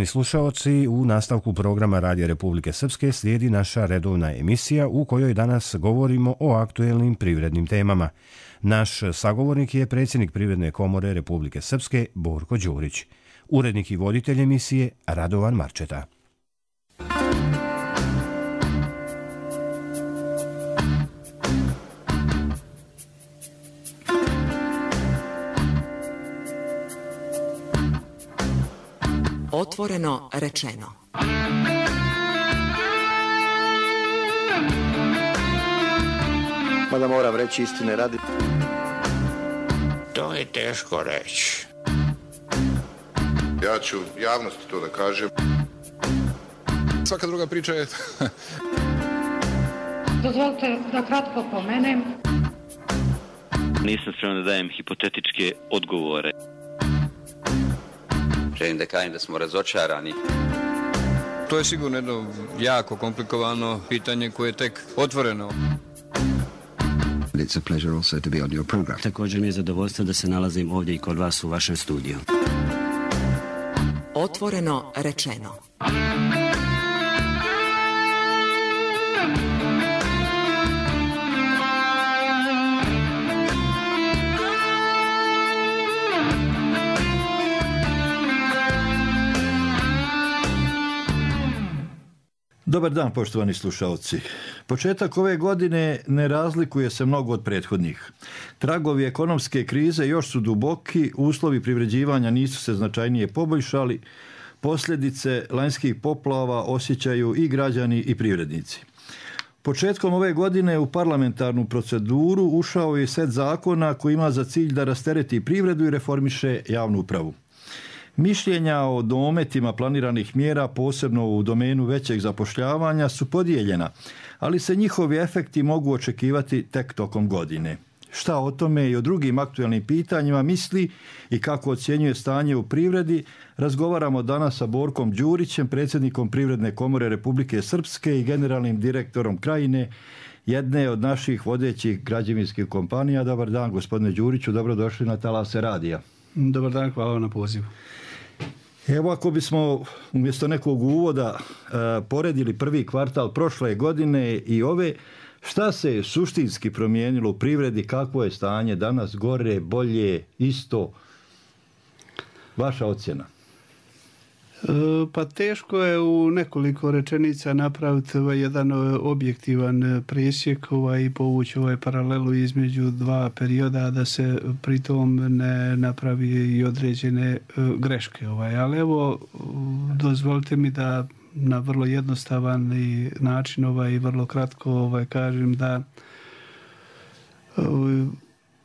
Slušaoci, u nastavku programa Radija Republike Srpske slijedi naša redovna emisija u kojoj danas govorimo o aktuelnim privrednim temama. Naš sagovornik je predsjednik Privredne komore Republike Srpske Borko Đurić. Urednik i voditelj emisije Radovan Marčeta. Otvoreno rečeno. Mada moram reći istine radi. To je teško reći. Ja ću javnosti to da kažem. Svaka druga priča je... Dozvolite da kratko pomenem. Nisam spreman da dajem hipotetičke odgovore. Želim da kažem da smo razočarani. To je sigurno jedno jako komplikovano pitanje koje je tek otvoreno. It's a pleasure also to be on your program. Također mi je zadovoljstvo da se nalazim ovdje i kod vas u vašem studiju. Otvoreno rečeno. Dobar dan, poštovani slušalci. Početak ove godine ne razlikuje se mnogo od prethodnih. Tragovi ekonomske krize još su duboki, uslovi privređivanja nisu se značajnije poboljšali, posljedice lanjskih poplava osjećaju i građani i privrednici. Početkom ove godine u parlamentarnu proceduru ušao je set zakona koji ima za cilj da rastereti privredu i reformiše javnu upravu. Mišljenja o dometima planiranih mjera, posebno u domenu većeg zapošljavanja, su podijeljena, ali se njihovi efekti mogu očekivati tek tokom godine. Šta o tome i o drugim aktuelnim pitanjima misli i kako ocjenjuje stanje u privredi, razgovaramo danas sa Borkom Đurićem, predsjednikom Privredne komore Republike Srpske i generalnim direktorom Krajine, jedne od naših vodećih građevinskih kompanija. Dobar dan, gospodine Đuriću, dobrodošli na talase radija. Dobar dan, hvala vam na pozivu. Evo, ako bismo umjesto nekog uvoda poredili prvi kvartal prošle godine i ove, šta se suštinski promijenilo u privredi, kakvo je stanje danas, gore, bolje, isto? Vaša ocjena? Pa teško je u nekoliko rečenica napraviti jedan objektivan presjek i povući paralelu između dva perioda, da se pritom ne napravi i određene greške. Ali evo, dozvolite mi da na vrlo jednostavan način i vrlo kratko kažem da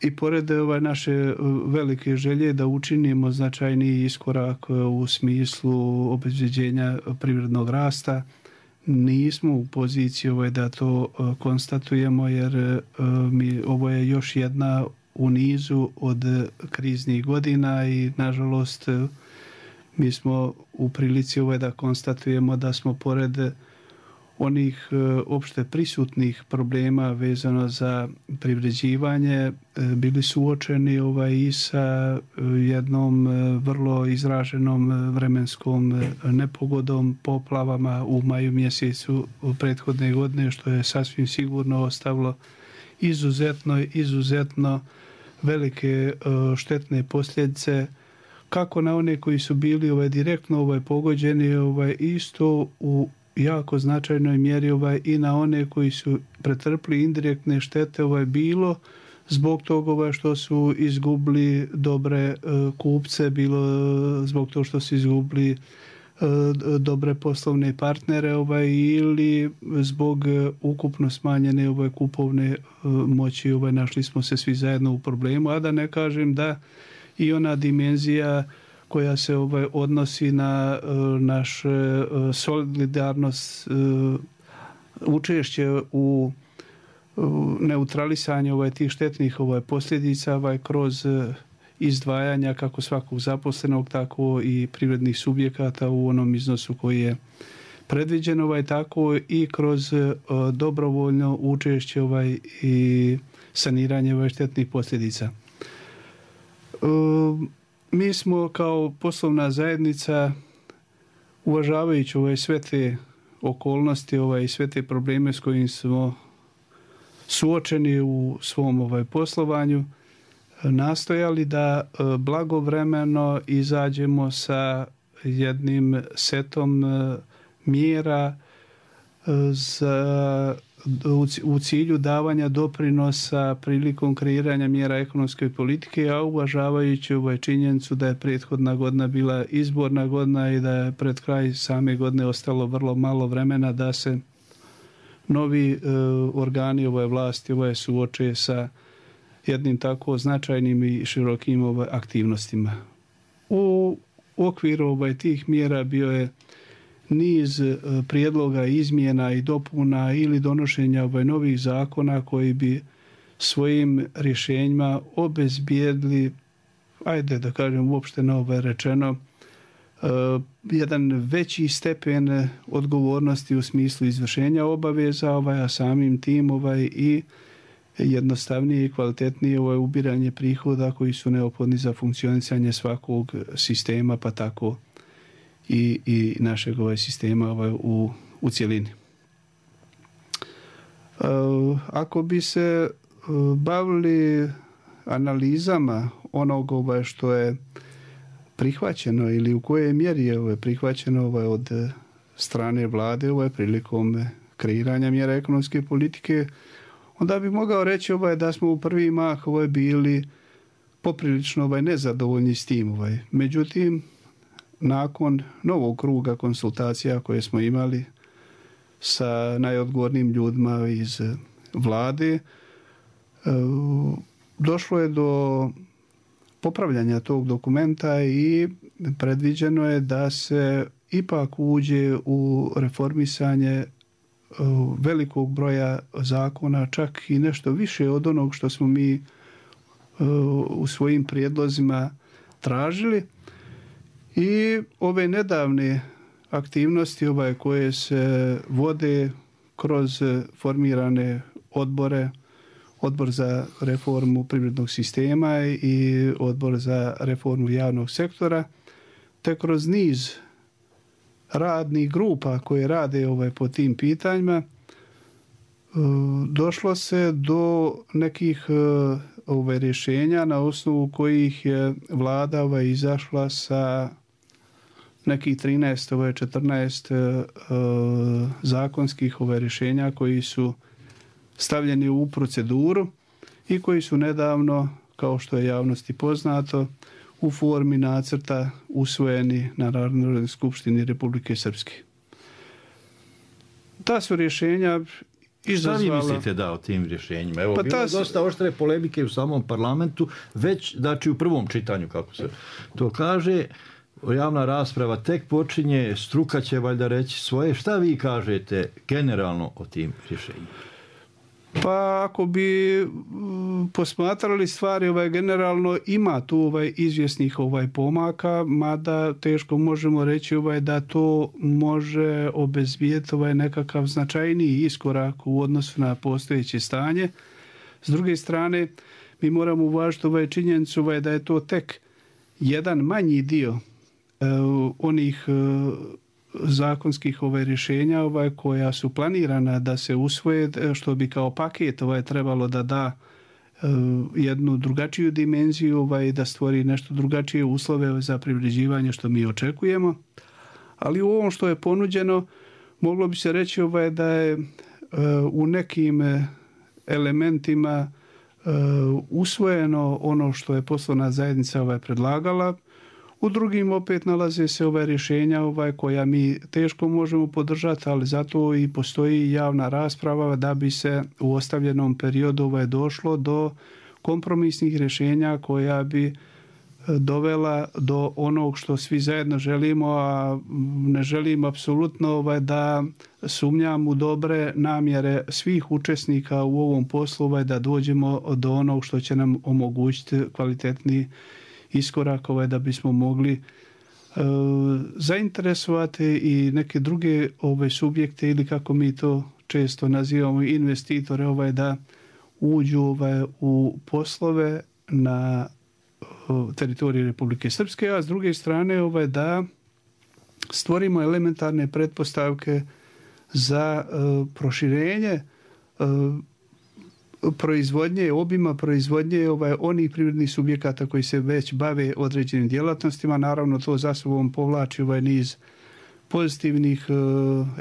i pored naše velike želje da učinimo značajni iskorak u smislu obezbeđenja privrednog rasta, nismo u poziciji da to konstatujemo, jer ovo je još jedna u nizu od kriznih godina i nažalost mi smo u prilici da konstatujemo da smo pored onih opšte prisutnih problema vezano za privređivanje bili suočeni i sa jednom vrlo izraženom vremenskom nepogodom, poplavama u maju mjesecu prethodne godine, što je sasvim sigurno ostavilo izuzetno velike štetne posljedice kako na one koji su bili direktno pogođeni, isto u jako značajnoj mjeri i na one koji su pretrpili indirektne štete, bilo zbog toga što su izgubili dobre kupce, bilo zbog toga što su izgubili dobre poslovne partnere ili zbog ukupno smanjene kupovne moći. Našli smo se svi zajedno u problemu, a da ne kažem da i ona dimenzija koja se odnosi na naš solidarnost, učešće u neutralisanju tih štetnih posljedica kroz izdvajanja kako svakog zaposlenog, tako i privrednih subjekata u onom iznosu koji je predviđen, tako i kroz dobrovoljno učešće i saniranje štetnih posljedica. Mi smo kao poslovna zajednica uvažavajući sve te okolnosti i sve te probleme s kojim smo suočeni u svom poslovanju, nastojali da blagovremeno izađemo sa jednim setom mjera u cilju davanja doprinosa prilikom kreiranja mjera ekonomske politike, a uvažavajući činjenicu da je prethodna godina bila izborna godina i da je pred kraj same godine ostalo vrlo malo vremena da se novi organi vlasti suoče sa jednim tako značajnim i širokim aktivnostima. U okviru tih mjera bio je niz prijedloga izmjena i dopuna ili donošenja novih zakona koji bi svojim rješenjima obezbijedili, ajde da kažem uopšteno rečeno, jedan veći stepen odgovornosti u smislu izvršenja obaveza, a samim tim i jednostavnije i kvalitetnije ubiranje prihoda koji su neophodni za funkcionisanje svakog sistema, pa tako i našeg sistema u cjelini. Ako bi se bavili analizama onog što je prihvaćeno ili u kojoj mjeri je prihvaćeno od strane vlade prilikom kreiranja mjera ekonomske politike, onda bi mogao reći da smo u prvi mah bili poprilično nezadovoljni s tim. Međutim, nakon novog kruga konsultacija koje smo imali sa najodgovornijim ljudima iz vlade, došlo je do popravljanja tog dokumenta i predviđeno je da se ipak uđe u reformisanje velikog broja zakona, čak i nešto više od onog što smo mi u svojim prijedlozima tražili. I ove nedavne aktivnosti koje se vode kroz formirane odbore, Odbor za reformu privrednog sistema i Odbor za reformu javnog sektora, te kroz niz radnih grupa koje rade po tim pitanjima, došlo se do nekih rješenja na osnovu kojih je vlada izašla sa nekih 13-14 zakonskih rješenja koji su stavljeni u proceduru i koji su nedavno, kao što je javnosti poznato, u formi nacrta usvojeni na Narodnoj skupštini Republike Srpske. Ta su rješenja izazvala... Šta vi mislite da o tim rješenjima? Evo, bilo je dosta oštre polemike u samom parlamentu, već u prvom čitanju, kako se to kaže. Javna rasprava tek počinje, struka će valjda reći svoje. Šta vi kažete generalno o tim rješenjima? Pa ako bi posmatrali stvari generalno, ima tu izvjesnih pomaka, mada teško možemo reći da to može obezbijeti nekakav značajniji iskorak u odnosu na postojeće stanje. S druge strane, mi moramo uvažiti činjenicu da je to tek jedan manji dio onih zakonskih rješenja koja su planirana da se usvoje, što bi kao paket trebalo da da jednu drugačiju dimenziju i da stvori nešto drugačije uslove za privređivanje što mi očekujemo. Ali u ovom što je ponuđeno moglo bi se reći da je u nekim elementima usvojeno ono što je poslovna zajednica predlagala. U drugim opet nalaze se rješenja koja mi teško možemo podržati, ali zato i postoji javna rasprava da bi se u ostavljenom periodu došlo do kompromisnih rješenja koja bi dovela do onog što svi zajedno želimo, a ne želim apsolutno da sumnjam u dobre namjere svih učesnika u ovom poslu da dođemo do onog što će nam omogućiti kvalitetni iskorak da bismo mogli zainteresovati i neke druge subjekte ili kako mi to često nazivamo investitore da uđu u poslove na teritoriji Republike Srpske, a s druge strane da stvorimo elementarne pretpostavke za proširenje proizvodnje, obima proizvodnje onih privrednih subjekata koji se već bave određenim djelatnostima. Naravno, to za sobom povlači niz pozitivnih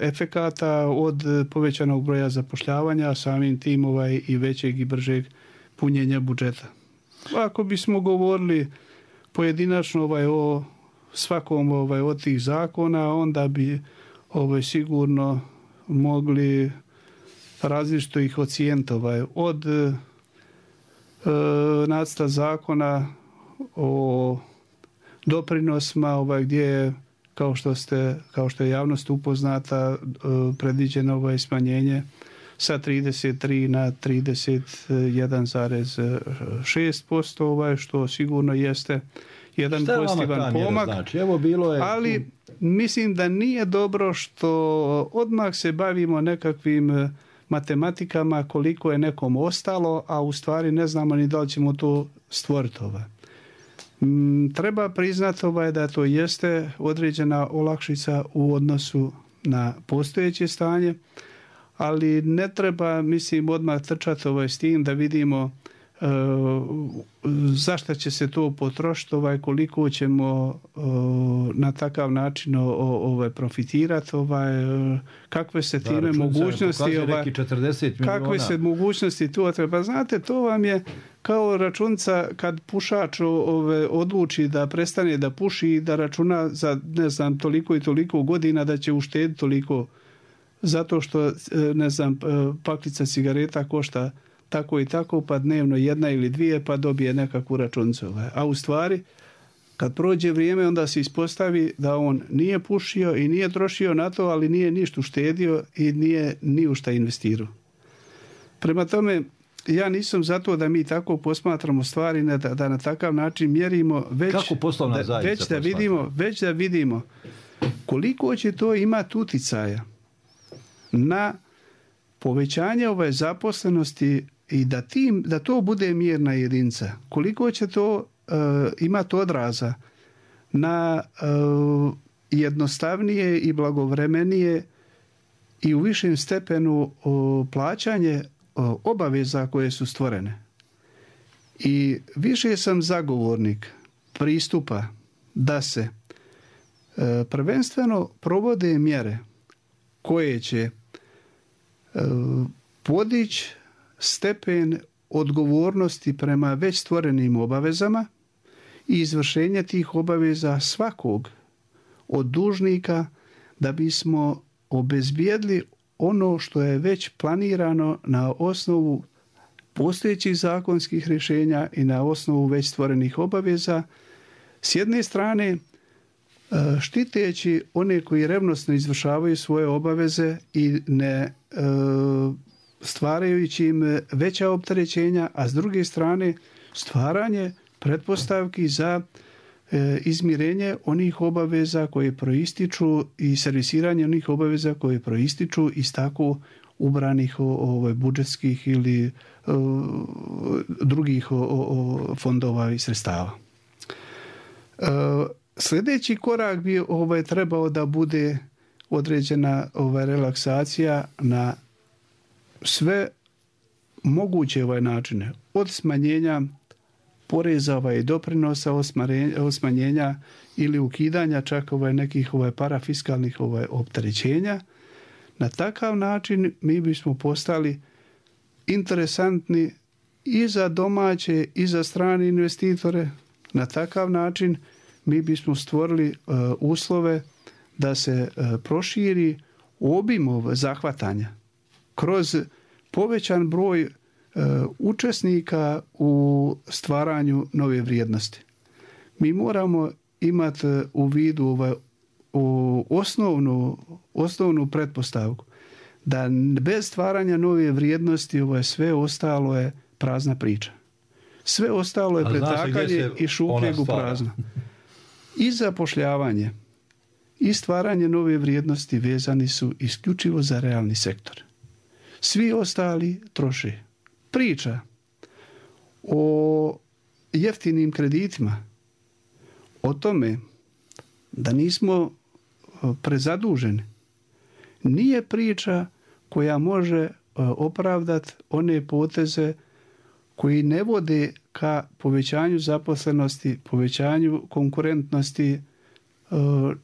efekata od povećanog broja zapošljavanja, samim tim i većeg i bržeg punjenja budžeta. Ako bismo govorili pojedinačno o svakom od tih zakona, onda bi sigurno mogli različito ih ocijeniti. Od nacrta zakona o doprinosima gdje je, kao što je javnost upoznata, predviđeno smanjenje sa 33 na 31,6%, što sigurno jeste jedan pozitivan pomak. Znači? Evo, bilo je... Ali mislim da nije dobro što odmah se bavimo nekakvim matematikama koliko je nekom ostalo, a u stvari ne znamo ni da li ćemo to stvoriti. Treba priznati da to jeste određena olakšica u odnosu na postojeće stanje, ali ne treba, mislim, odmah trčati s tim da vidimo zašto će se to potrošiti, koliko ćemo na takav način profitirati, kakve se time mogućnosti, kakve se mogućnosti tu treba. Znate, to vam je kao računica kad pušač odluči da prestane da puši i da računa za, ne znam, toliko i toliko godina da će uštediti toliko, zato što, ne znam, paklica cigareta košta tako i tako, pa dnevno 1 ili 2, pa dobije nekakvu računicu. A u stvari, kad prođe vrijeme, onda se ispostavi da on nije pušio i nije trošio na to, ali nije ništa uštedio i nije ni u šta investirao. Prema tome, ja nisam za to da mi tako posmatramo stvari, da na takav način mjerimo, već da vidimo koliko će to imati uticaja na povećanje zaposlenosti i da to bude mjerna jedinica. Koliko će to imati odraza na jednostavnije i blagovremenije i u višem stepenu plaćanje obaveza koje su stvorene. I više sam zagovornik pristupa da se prvenstveno provode mjere koje će podići stepen odgovornosti prema već stvorenim obavezama i izvršenje tih obaveza svakog od dužnika, da bismo obezbijedili ono što je već planirano na osnovu postojećih zakonskih rješenja i na osnovu već stvorenih obaveza. S jedne strane, štiteći one koji revnosno izvršavaju svoje obaveze i ne stvarajući im veća opterećenja, a s druge strane stvaranje pretpostavki za izmirenje onih obaveza koje proističu i servisiranje onih obaveza koje proističu iz tako ubranih budžetskih ili drugih fondova i sredstava. Sljedeći korak bi trebao da bude određena relaksacija na sve moguće načine, od smanjenja poreza i doprinosa, od smanjenja ili ukidanja čak nekih parafiskalnih opterećenja. Na takav način mi bismo postali interesantni i za domaće i za strane investitore. Na takav način mi bismo stvorili uslove da se proširi obim zahvatanja kroz povećan broj učesnika u stvaranju nove vrijednosti. Mi moramo imati u vidu osnovnu pretpostavku da bez stvaranja nove vrijednosti sve ostalo je prazna priča. Sve ostalo je pretakanje i šupljeg u prazno. I zapošljavanje i stvaranje nove vrijednosti vezani su isključivo za realni sektor. Svi ostali troše. Priča o jeftinim kreditima, o tome da nismo prezaduženi, nije priča koja može opravdati one poteze koji ne vode ka povećanju zaposlenosti, povećanju konkurentnosti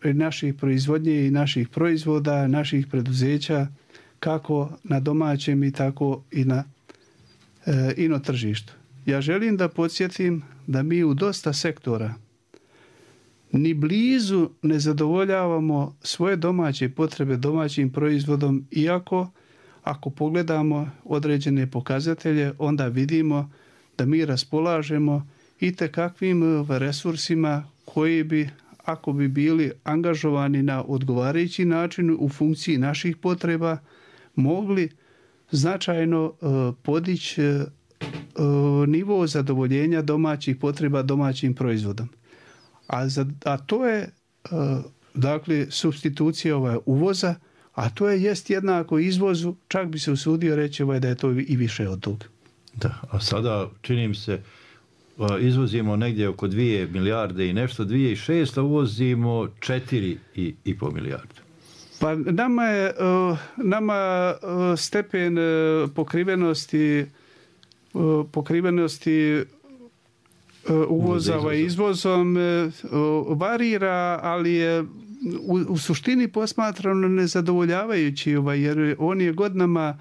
naših proizvodnje i naših proizvoda, naših preduzeća, kako na domaćem i tako i na ino tržištu. Ja želim da podsjetim da mi u dosta sektora ni blizu ne zadovoljavamo svoje domaće potrebe domaćim proizvodom, iako ako pogledamo određene pokazatelje, onda vidimo da mi raspolažemo itekakvim resursima koji bi, ako bi bili angažovani na odgovarajući način u funkciji naših potreba, mogli značajno podići nivo zadovoljenja domaćih potreba domaćim proizvodom. A to je dakle supstitucija uvoza, a to jest jednako izvozu, čak bi se usudio reći da je to i više od toga. Da, a sada čini mi se izvozimo negdje oko 2 milijarde i nešto, 2,6, a uvozimo 4,5 milijarde. Pa nama stepen pokrivenosti uvoza izvozom varira, ali je u suštini posmatrano nezadovoljavajući, jer on je godinama,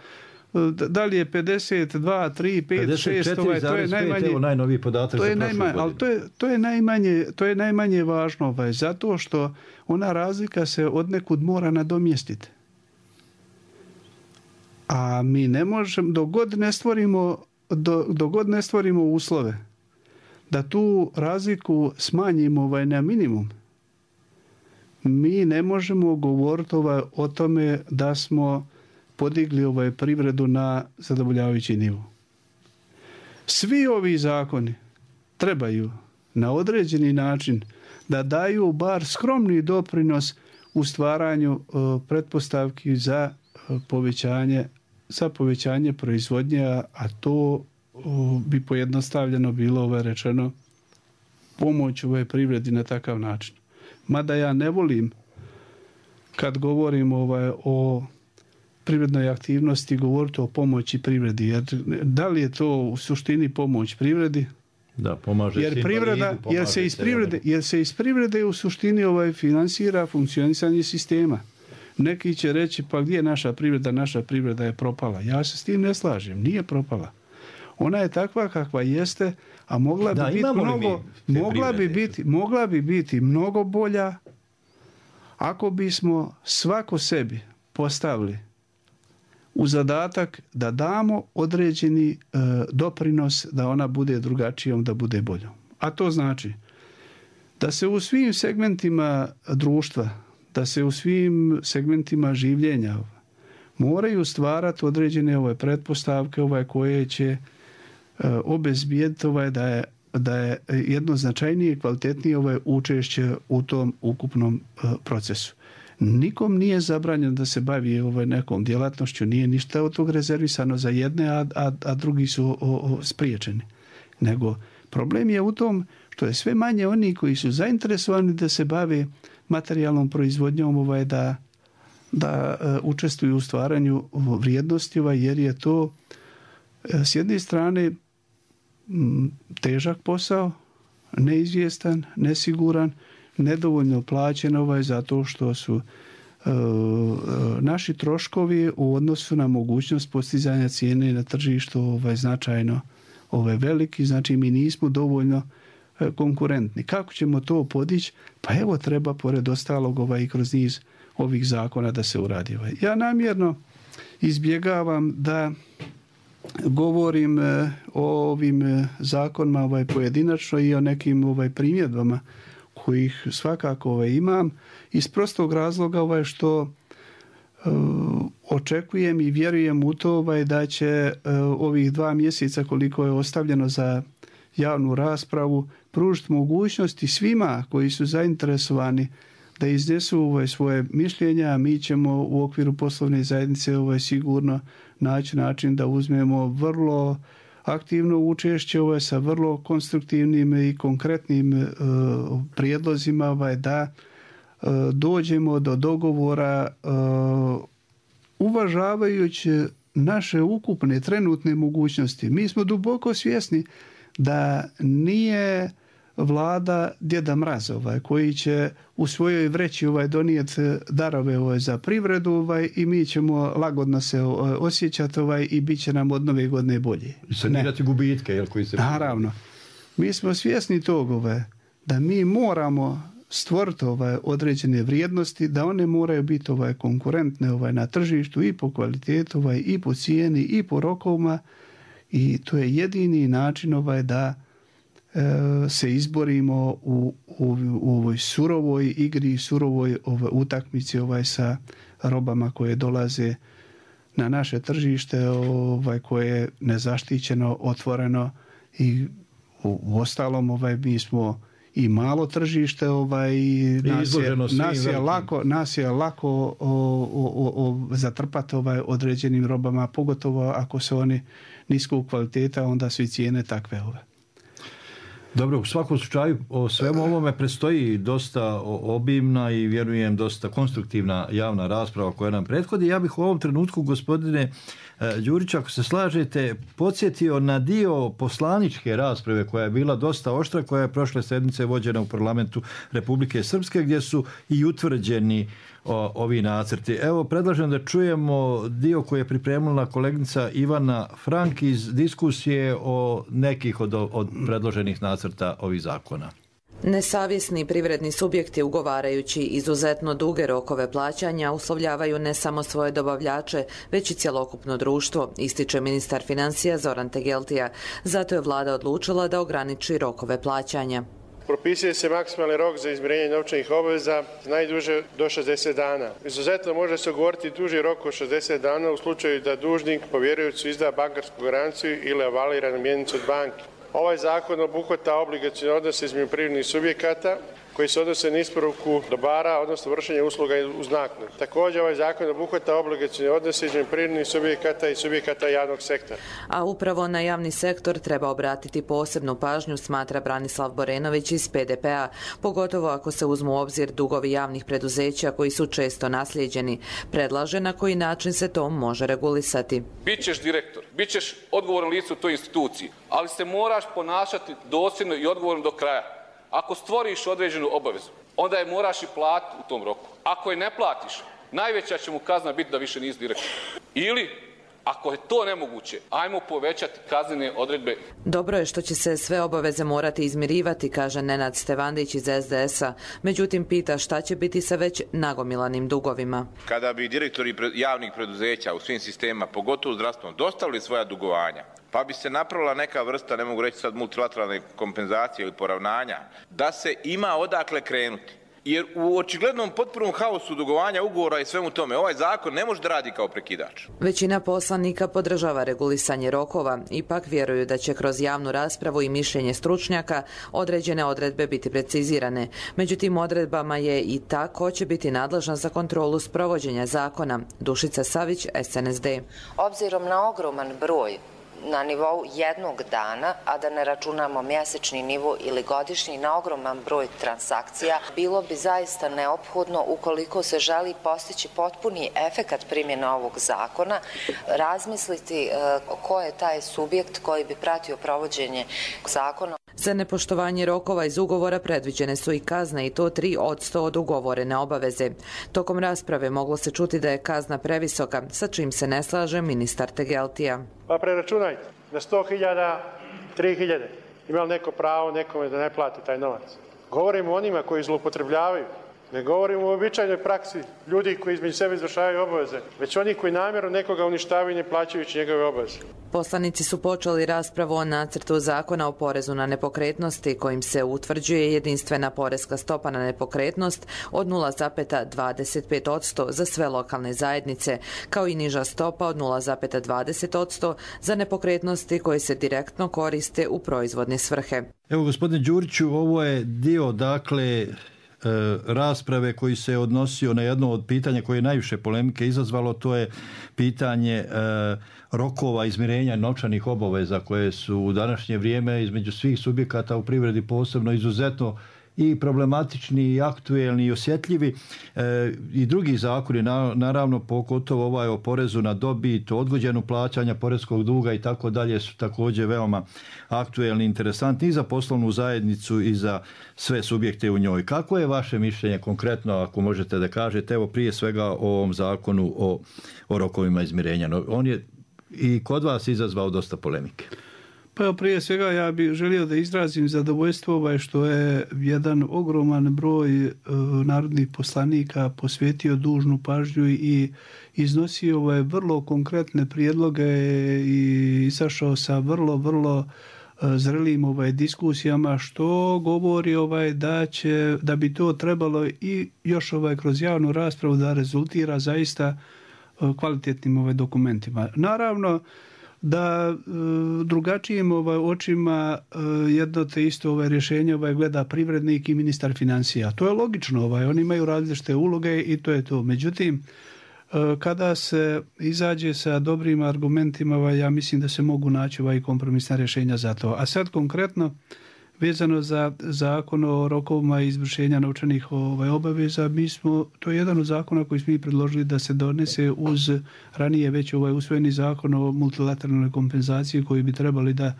da li je 52, 3, 5, 6, to je najmanje, evo najnoviji podatak za prošlu godinu. Ali to je najmanje važno, zato što ona razlika se odnekud mora nadomjestiti. A mi ne možemo, dok god ne stvorimo uslove da tu razliku smanjimo na minimum, mi ne možemo govoriti o tome da smo podigli privredu na zadovoljavajući nivo. Svi ovi zakoni trebaju na određeni način da daju bar skromni doprinos u stvaranju pretpostavki za povećanje proizvodnje, a to bi pojednostavljeno bilo rečeno pomoć privredi na takav način. Mada ja ne volim kad govorim o privrednoj aktivnosti govoriti o pomoći privredi, jer da li je to u suštini pomoć privredi? Da, pomaže jer se iz privrede u suštini finansira funkcionisanje sistema. Neki će reći, pa gdje je naša privreda? Naša privreda je propala. Ja se s tim ne slažem, nije propala. Ona je takva kakva jeste, a mogla bi biti mnogo bolja ako bismo svako sebi postavili u zadatak da damo određeni doprinos da ona bude drugačijom, da bude boljom. A to znači da se u svim segmentima društva, da se u svim segmentima življenja moraju stvarati određene pretpostavke koje će obezbijediti da je jedno značajnije i kvalitetnije učešće u tom ukupnom procesu. Nikom nije zabranjeno da se bavi nekom djelatnošću, nije ništa od tog rezervisano za jedne, a drugi su spriječeni. Nego problem je u tom što je sve manje oni koji su zainteresovani da se bave materijalnom proizvodnjom, da učestvuju u stvaranju vrijednosti, jer je to s jedne strane težak posao, neizvjestan, nesiguran, nedovoljno plaćen zato što su naši troškovi u odnosu na mogućnost postizanja cijene na tržištu značajno veliki, znači mi nismo dovoljno konkurentni. Kako ćemo to podići? Pa evo treba pored ostalog i kroz niz ovih zakona da se uradi. Ja namjerno izbjegavam da govorim o ovim zakonima pojedinačno i o nekim primjedbama kojih svakako imam iz prostog razloga što očekujem i vjerujem u to da će ovih 2 mjeseca koliko je ostavljeno za javnu raspravu pružiti mogućnosti svima koji su zainteresovani da iznesu svoje mišljenja, a mi ćemo u okviru poslovne zajednice sigurno naći način da uzmemo vrlo aktivno učešće sa vrlo konstruktivnim i konkretnim prijedlozima da dođemo do dogovora uvažavajući naše ukupne trenutne mogućnosti. Mi smo duboko svjesni da nije vlada Djeda Mraz koji će u svojoj vreći donijeti darove za privredu i mi ćemo lagodno se osjećati i bit će nam od nove godine bolje. I sanirati gubitke koji se... Naravno. Mi smo svjesni toga da mi moramo stvoriti određene vrijednosti, da one moraju biti konkurentne na tržištu i po kvalitetu, i po cijeni, i po rokovima, i to je jedini način da se izborimo u ovoj surovoj igri, surovoj utakmici sa robama koje dolaze na naše tržište, koje je nezaštićeno, otvoreno i u ostalom mi smo i malo tržište, nas je lako zatrpati određenim robama, pogotovo ako su oni niskog kvaliteta, onda su i cijene takve. Dobro, u svakom slučaju o svemu ovome predstoji dosta obimna i vjerujem dosta konstruktivna javna rasprava koja nam prethodi. Ja bih u ovom trenutku, gospodine Đurić, ako se slažete, podsjetio na dio poslaničke rasprave koja je bila dosta oštra, koja je prošle sedmice vođena u parlamentu Republike Srpske, gdje su i utvrđeni ovi nacrti. Evo, predlažem da čujemo dio koji je pripremila kolegica Ivana Frank iz diskusije o nekih od predloženih nacrta ovih zakona. Nesavjesni privredni subjekti ugovarajući izuzetno duge rokove plaćanja uslovljavaju ne samo svoje dobavljače, već i cjelokupno društvo, ističe ministar financija Zoran Tegeltija. Zato je vlada odlučila da ograniči rokove plaćanja. Propisuje se maksimalni rok za izmirenje novčanih obveza najduže do 60 dana. Izuzetno može se ugovoriti duži rok od 60 dana u slučaju da dužnik povjerujući izda bankarsku garanciju ili avaliranu mjenicu od banke. Ovaj zakon obuhvata obligacione odnose između privrednih subjekata koji se odnose na isporuku dobara, odnosno vršenje usluga uz naknadu. Također ovaj zakon obuhvata obligacione odnose između privrednih subjekata i subjekata javnog sektora. A upravo na javni sektor treba obratiti posebnu pažnju, smatra Branislav Borenović iz PDP-a, pogotovo ako se uzmu u obzir dugovi javnih preduzeća koji su često naslijeđeni. Predlaže na koji način se to može regulisati. Bićeš direktor, bićeš odgovoran lice u toj instituciji, ali se moraš ponašati dosljedno i odgovorno do kraja. Ako stvoriš određenu obavezu, onda je moraš i platiti u tom roku. Ako je ne platiš, najveća će mu kazna biti da više nisi direktor. Ili, ako je to nemoguće, ajmo povećati kaznene odredbe. Dobro je što će se sve obaveze morati izmirivati, kaže Nenad Stevandić iz SDS-a. Međutim, pita šta će biti sa već nagomilanim dugovima. Kada bi direktori javnih preduzeća u svim sistemima, pogotovo zdravstvenom, dostavili svoja dugovanja, pa bi se napravila neka vrsta, ne mogu reći sad multilateralne kompenzacije ili poravnanja, da se ima odakle krenuti. Jer u očiglednom potpunom haosu dugovanja ugovora i svemu tome, ovaj zakon ne može da radi kao prekidač. Većina poslanika podržava regulisanje rokova, ipak vjeruju da će kroz javnu raspravu i mišljenje stručnjaka određene odredbe biti precizirane. Među tim odredbama je i ta ko će biti nadležna za kontrolu sprovođenja zakona. Dušica Savić, SNSD. Obzirom na ogroman broj na nivou jednog dana, a da ne računamo mjesečni nivo ili godišnji, na ogroman broj transakcija, bilo bi zaista neophodno, ukoliko se želi postići potpuni efekat primjene ovog zakona, razmisliti ko je taj subjekt koji bi pratio provođenje zakona. Za nepoštovanje rokova iz ugovora predviđene su i kazne, i to 3% od ugovorene obaveze. Tokom rasprave moglo se čuti da je kazna previsoka, sa čim se ne slaže ministar Tegeltija. Pa preračunajte, na 100.000, 3.000. Ima li neko pravo nekome da ne plati taj novac? Govorimo o onima koji zloupotrebljavaju. Ne govorimo o običajnoj praksi ljudi koji između sebe izvršavaju obaveze, već oni koji namjerno nekoga uništavaju ne plaćajući njegove obaveze. Poslanici su počeli raspravu o nacrtu zakona o porezu na nepokretnosti kojim se utvrđuje jedinstvena poreska stopa na nepokretnost od 0,25% za sve lokalne zajednice, kao i niža stopa od 0,20% za nepokretnosti koje se direktno koriste u proizvodne svrhe. Evo, gospodine Đuriću, ovo je dio, dakle, rasprave koji se odnosio na jedno od pitanja koje je najviše polemike izazvalo, to je pitanje rokova izmirenja novčanih obaveza koje su u današnje vrijeme između svih subjekata u privredi posebno izuzetno i problematični i aktuelni i osjetljivi i drugi zakoni, naravno pogotovo ovaj o porezu na dobit, odgođenu plaćanja poreskog duga i tako dalje su također veoma aktuelni i interesantni i za poslovnu zajednicu i za sve subjekte u njoj. Kako je vaše mišljenje konkretno, ako možete da kažete, evo prije svega o ovom zakonu o rokovima izmirenja? On je i kod vas izazvao dosta polemike. Pa evo, prije svega ja bih želio da izrazim zadovoljstvo što je jedan ogroman broj narodnih poslanika posvetio dužnu pažnju i iznosio vrlo konkretne prijedloge i izašao sa vrlo zrelim diskusijama, što govori da bi to trebalo i još kroz javnu raspravu da rezultira zaista kvalitetnim dokumentima. Naravno da drugačijim očima jedno te isto rješenje gleda privrednik i ministar financija. To je logično, oni imaju različite uloge i to je to. Međutim, kada se izađe sa dobrim argumentima, ja mislim da se mogu naći kompromisna rješenja za to. A sad konkretno, vezano za zakon o rokovima izvršenja novčanih obaveza, to je jedan od zakona koji smo mi predložili da se donese uz ranije već usvojeni zakon o multilateralnoj kompenzaciji koji bi trebali da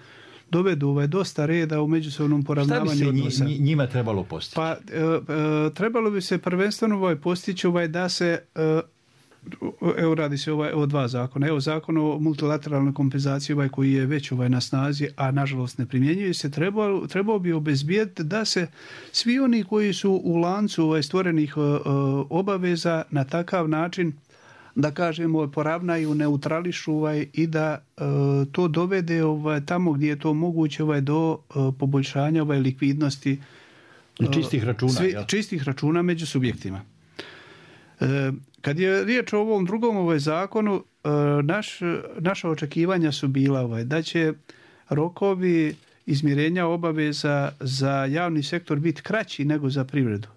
dovedu dosta reda u međusobnom poravnavanju odnosa. Šta bi se njima trebalo postići? Pa trebalo bi se prvenstveno postići da se evo radi se o dva zakona. Evo zakon o multilateralnoj kompenzaciji koji je već na snazi, a nažalost ne primjenjuje se, trebao bi obezbijeti da se svi oni koji su u lancu stvorenih obaveza na takav način, da kažemo, poravnaju, neutrališu i da to dovede tamo gdje je to moguće do poboljšanja likvidnosti čistih računa među subjektima. Kad je riječ o ovom drugom zakonu, naša očekivanja su bila da će rokovi izmirenja obaveza za javni sektor biti kraći nego za privredu.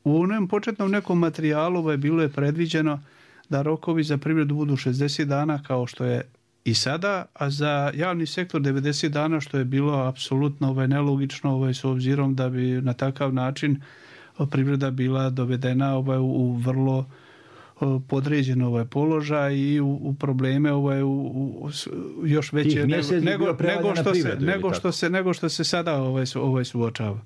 U onom početnom nekom materijalu bilo je predviđeno da rokovi za privredu budu 60 dana kao što je i sada, a za javni sektor 90 dana, što je bilo apsolutno nelogično s obzirom da bi na takav način privreda bila dovedena u vrlo podređen položaj i u probleme još veće nego što se sada suočava.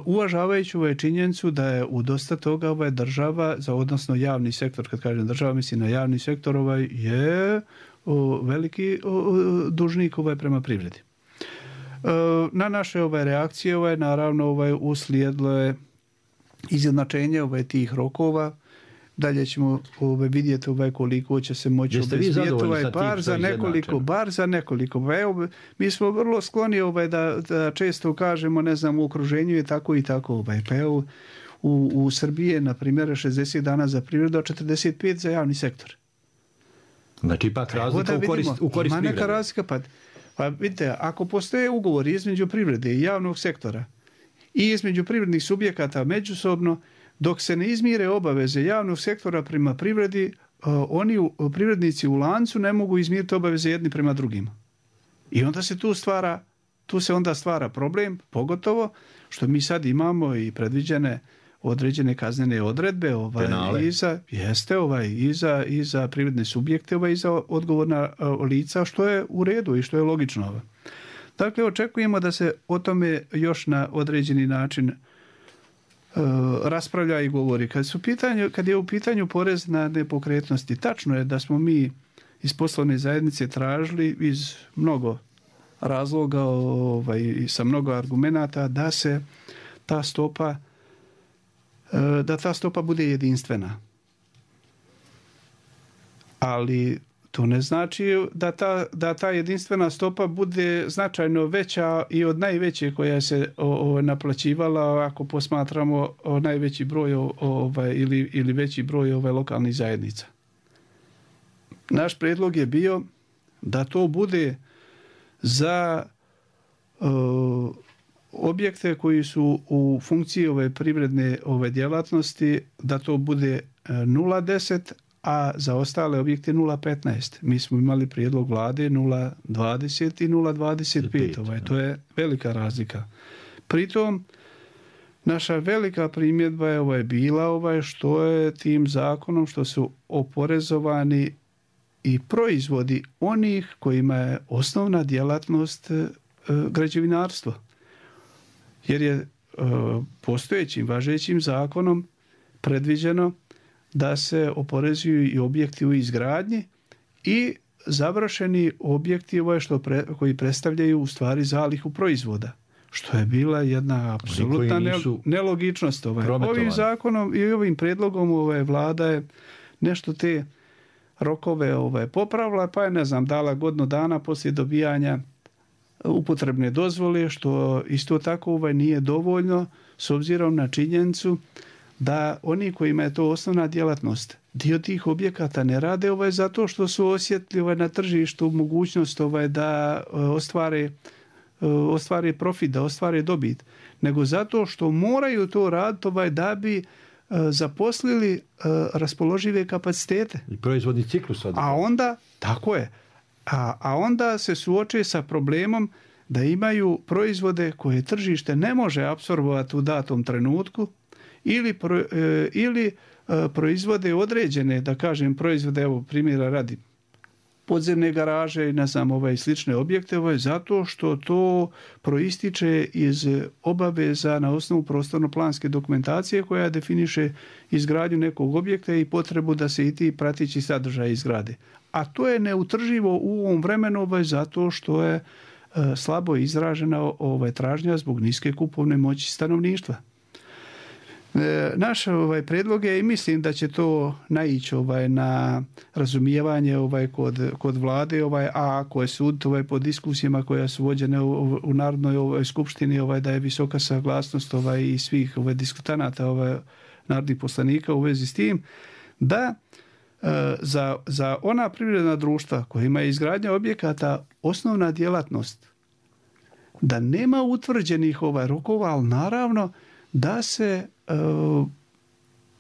Uvažavajući činjenicu da je u dosta toga država, odnosno javni sektor, kad kažem država mislim na javni sektor, je veliki dužnik prema privredi. Na naše reakcije naravno uslijedilo je izjednačenje tih rokova. Dalje ćemo vidjeti koliko će se moći obezbijeti bar za nekoliko. Evo, mi smo vrlo skloni da često kažemo, ne znam, u okruženju je tako i tako. Pa evo, u Srbiji je, na primjer, 60 dana za privredu, a 45 za javni sektor. Znači, ipak razlika u korist privrede. Neka razlika, pa vidite, ako postoje ugovor između privrede i javnog sektora i između privrednih subjekata međusobno, dok se ne izmire obaveze javnog sektora prema privredi, privrednici u lancu ne mogu izmiriti obaveze jedni prema drugima. I onda se tu se onda stvara problem, pogotovo što mi sad imamo i predviđene određene kaznene odredbe i za privredne subjekte i za odgovorna lica, što je u redu i što je logično. Dakle, očekujemo da se o tome još na određeni način raspravlja i govori. Kad je u pitanju porez na nepokretnosti, tačno je da smo mi iz poslovne zajednice tražili iz mnogo razloga i sa mnogo argumenata da se ta stopa bude jedinstvena. Ali to ne znači da ta jedinstvena stopa bude značajno veća i od najveće koja se naplaćivala, ako posmatramo najveći broj ili veći broj lokalnih zajednica. Naš prijedlog je bio da to bude za objekte koji su u funkciji privredne djelatnosti, da to bude 0,10, a za ostale objekte 0,15. Mi smo imali prijedlog vlade 0,20 i 0,25. To je velika razlika. Pritom Naša velika primjedba je bila što je tim zakonom što su oporezovani i proizvodi onih kojima je osnovna djelatnost građevinarstvo. Jer je postojećim, važećim zakonom predviđeno da se oporezuju i objekti u izgradnji i završeni objekti koji predstavljaju u stvari zalihu proizvoda. Što je bila jedna apsolutna nelogičnost. Ovim zakonom i ovim predlogom vlada je nešto te rokove popravila, pa je dala godinu dana poslije dobijanja upotrebne dozvole, što isto tako nije dovoljno s obzirom na činjenicu da oni kojima je to osnovna djelatnost, dio tih objekata ne rade zato što su osjetili na tržištu mogućnost da ostvare profit, da ostvare dobit, nego zato što moraju to raditi da bi zaposlili raspoložive kapacitete. I proizvodni ciklus. A onda, tako je, a onda se suoče sa problemom da imaju proizvode koje tržište ne može apsorbovati u datom trenutku ili proizvode određene, da kažem, proizvode, evo primjera radi, podzemne garaže i slične objekte, zato što to proističe iz obaveza na osnovu prostorno-planske dokumentacije koja definiše izgradnju nekog objekta i potrebu da se i ti prateći sadržaj izgrade. A to je neutrživo u ovom vremenu zato što je slabo izražena tražnja zbog niske kupovne moći stanovništva. Naš predlog je i mislim da će to naići na razumijevanje kod vlade, a ako je sud po diskusijama koja su vođene u Narodnoj skupštini da je visoka saglasnost i svih diskutanata narodnih poslanika u vezi s tim, da za ona privredna društva kojima je izgradnja objekata osnovna djelatnost, da nema utvrđenih rokova, ali naravno da se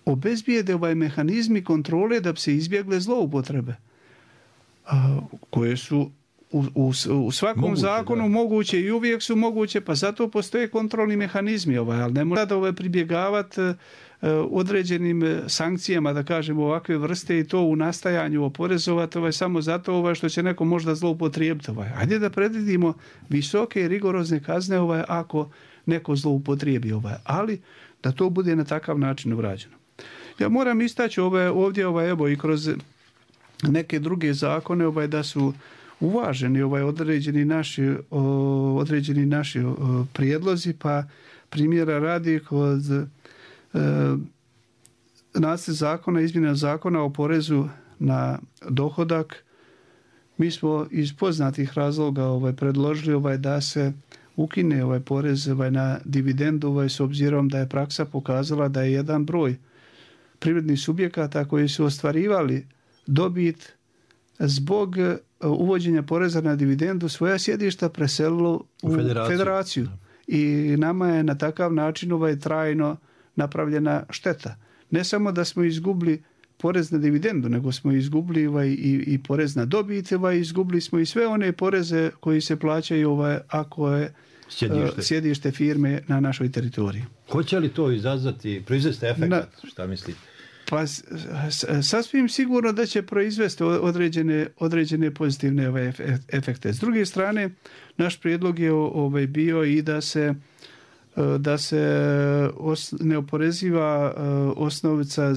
obezbijede mehanizmi kontrole da bi se izbjegle zloupotrebe koje su u svakom zakonu moguće i uvijek su moguće, pa zato postoje kontrolni mehanizmi, ali ne mora da pribjegavati određenim sankcijama, da kažemo, ovakve vrste i to u nastajanju oporezovati samo zato što će neko možda zloupotrijebiti. Ajde da predvidimo visoke i rigorozne kazne ako neko zloupotrijebi ali da to bude na takav način urađeno. Ja moram istaći ovdje evo i kroz neke druge zakone da su uvaženi određeni naši prijedlozi, pa primjera radi kod nacrt zakona, izmjena zakona o porezu na dohodak. Mi smo iz poznatih razloga predložili da se ukine porez na dividendu s obzirom da je praksa pokazala da je jedan broj privrednih subjekata koji su ostvarivali dobit zbog uvođenja poreza na dividendu svoja sjedišta preselilo u federaciju. I nama je na takav način trajno napravljena šteta. Ne samo da smo izgubili porez na dividendu, nego smo izgubili i porez na dobit, izgubili smo i sve one poreze koji se plaćaju ako je sjedište firme na našoj teritoriji. Hoće li to proizvesti efekt? Šta mislite? Pa sasvim sigurno da će proizvesti određene pozitivne efekte. S druge strane, naš prijedlog je bio i da se ne oporeziva osnovica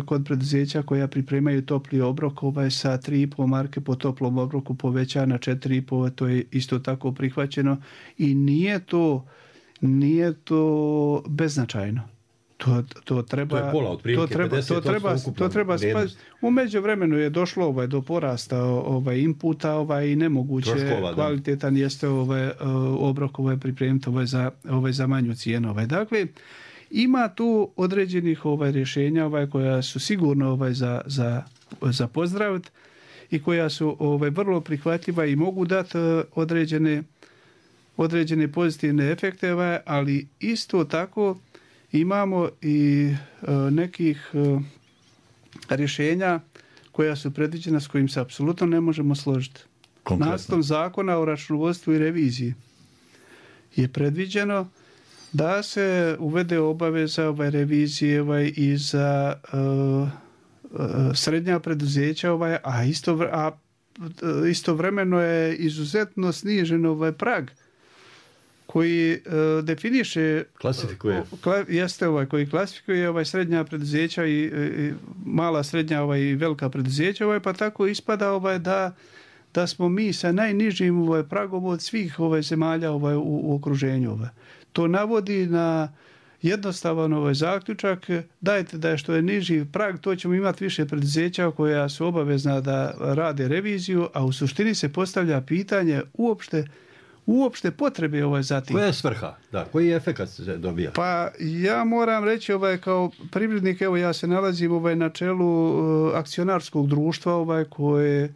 kod preduzeća koja pripremaju topli obrok sa 3,5 marke po toplom obroku poveća na 4,5, to je isto tako prihvaćeno i nije to beznačajno. To treba, to je pola, otprilike 50% treba spaziti. U međuvremenu je došlo do porasta inputa i nemoguće troškova, kvalitetan jeste obrok pripremiti za manju cijenu. Dakle, ima tu određenih rješenja koja su sigurno za pozdraviti i koja su vrlo prihvatljiva i mogu dati određene pozitivne efekte, ali isto tako imamo i nekih rješenja koja su predviđena s kojim se apsolutno ne možemo složiti. Nacrtom zakona o računovodstvu i reviziji je predviđeno da se uvede obaveza revizije i za srednja preduzeća, a istovremeno je izuzetno snižen prag koji definiše, koji klasifikuje srednja preduzeća i mala, srednja i velika preduzeća, pa tako ispada da smo mi sa najnižim pragom od svih zemalja u okruženju. To navodi na jednostavan zaključak, dajte da što je niži prag, to ćemo imati više preduzeća koja su obavezna da rade reviziju, a u suštini se postavlja pitanje uopšte potrebe za tim. Koja je svrha? Da, koji efekat se dobija? Pa ja moram reći kao privrednik, ja se nalazim na čelu akcionarskog društva koje